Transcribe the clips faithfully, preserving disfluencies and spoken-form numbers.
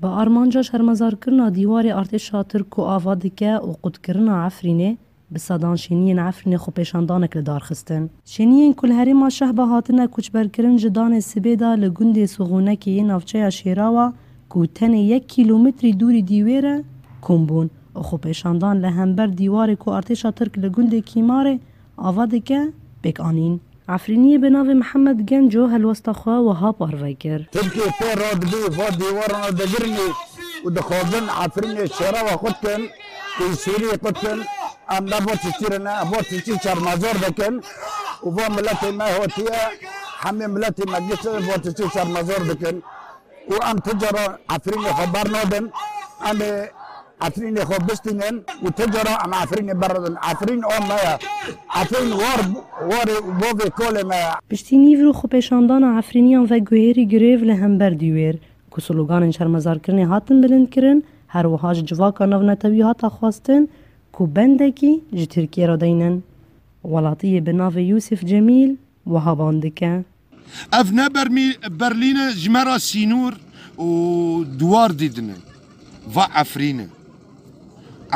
Bi armanca şermezarkirina dîwarê artêşa Tirk ku ava dike û qutkirina Efrînê, bi sedan şêniyên Efrînê xwepêşandanek li dar xistin. Şêniyên ku li herêma Şehba hatine koçberkirin ji danê sibê de li gundê Sixûnekê yê navçeya Şêrawa ku tenê yek kîlometrî dûrî dîwêr e, kom bûn û xwepêşandan li hember dîwarê ku artêşa Tirk li gundê Kîmarê ava dike, pêk anîn. Efrîniyê bi navê Mihemed Genco helwesta xwe wiha parve kir. Tirkiye pê re dibî va dîwarana digirinî û dixwazin Efrînê şêrewa xwe dikin û Sûriyê xwe dikin. Em ne va tiştî re ne, em va tiştî şermezar dikin û va miletê me hatiye, hemê miletê me gişt va tiştî şermezar dikin. Û em ti cara Efrînê xwe bernadin, em ê Efrînê xwe bistînin û ti cara em Efrînê bernadin. Efrîn a me ye. Efrîn war, warê û bavê kalê me ye. Piştî nîvro xwepêşandana Efrîniyan veguhêrî girêv li hember dîwêr, ku sloganên şermezarkirinê hatin bilindkirin, her wiha ji civaka navnetewî hate xwestin ku bendekî ji Tirkiyê re deynin. Welatiyê bi navê Yûsif Cemîl wiha ban dike. Ev ne Bermî-, Berlîn e, ji me re sînor û duwar didine. Va Efrîn e.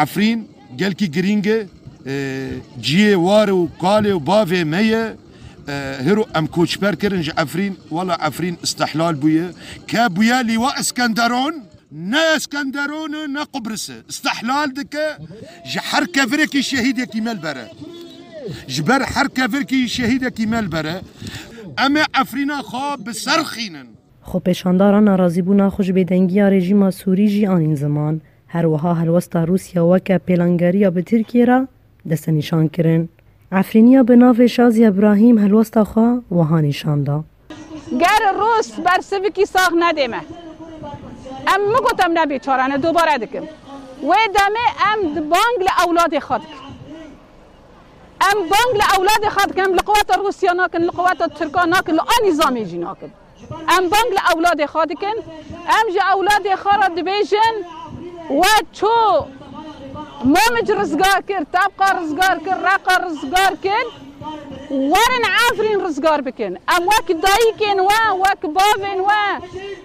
Efrîn gelkî girîng e, e, ciyê war û kalê û bavê me ye. E, hiro em koçber kirin ji Efrîn, wela Efrîn istihlal bûye. Ke bûye lîwa Iskenderon, ne Eskenderon e, ne Qubris e. Istihlal dike, ji her kevirekî şehîdekî me li bere. Ji ber her kevirekî şehîdekî me li bere. Em ê Efrîna xwe bi ser xînin. Xwepêşandara narazîbûna xwe ji bêdengiya rejîma Sûrî jî anîn ziman. Her wiha helwesta Rûsya weke pêlangeriya bi Tirkiyê re destnîşan kirin. Efrîniya bi navê Şaziya Brahîm helwesta xwe wiha nîşan da. Ger Rûs bersivikî sax nedê me, em min got em ne bêçare ne, dobare dikim. Wê demê em di bang li ewladê xwe dikin. Em bang li ewladê xwe dikin, em li quweta Rûsya nakin, li quweta Tirka nakin, li a nîzamê jî nakin. Em bang li ewladê xwe dikin. Em ji ewladê xwe re dibêjin, we çû Mamic rizgar kir, Tebqa rizgar kir, Reqa rizgar kir. Werin Efrîn rizgar bikin. Em wek dayikên we, wek bavên we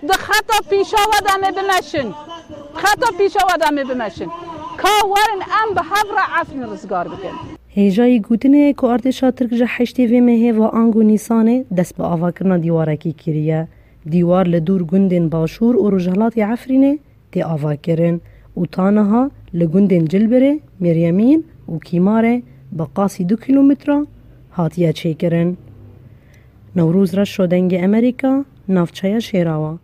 di xeta pîşa we de me bimeşin. Xeta pîşa we de me bimeşin. Ka werin em bi hev re Efrîn rizgar bikin. Hêjayî gotinê ye ku artêşa Tirk ji heştê vê mehê va ango Nîsanê dest bi avakirina dîwarekî kiriye. Dîwar li dûr gundên Başûr û Rojhilatê Efrînê tê avakirin û ta niha li gundên Cilbirê, Mêryemîn û Kîmarê bi qasî du kîlometre hatiye çêkirin. Newroz Reşo, Dengê Emerîka, navçeya Şêrawa.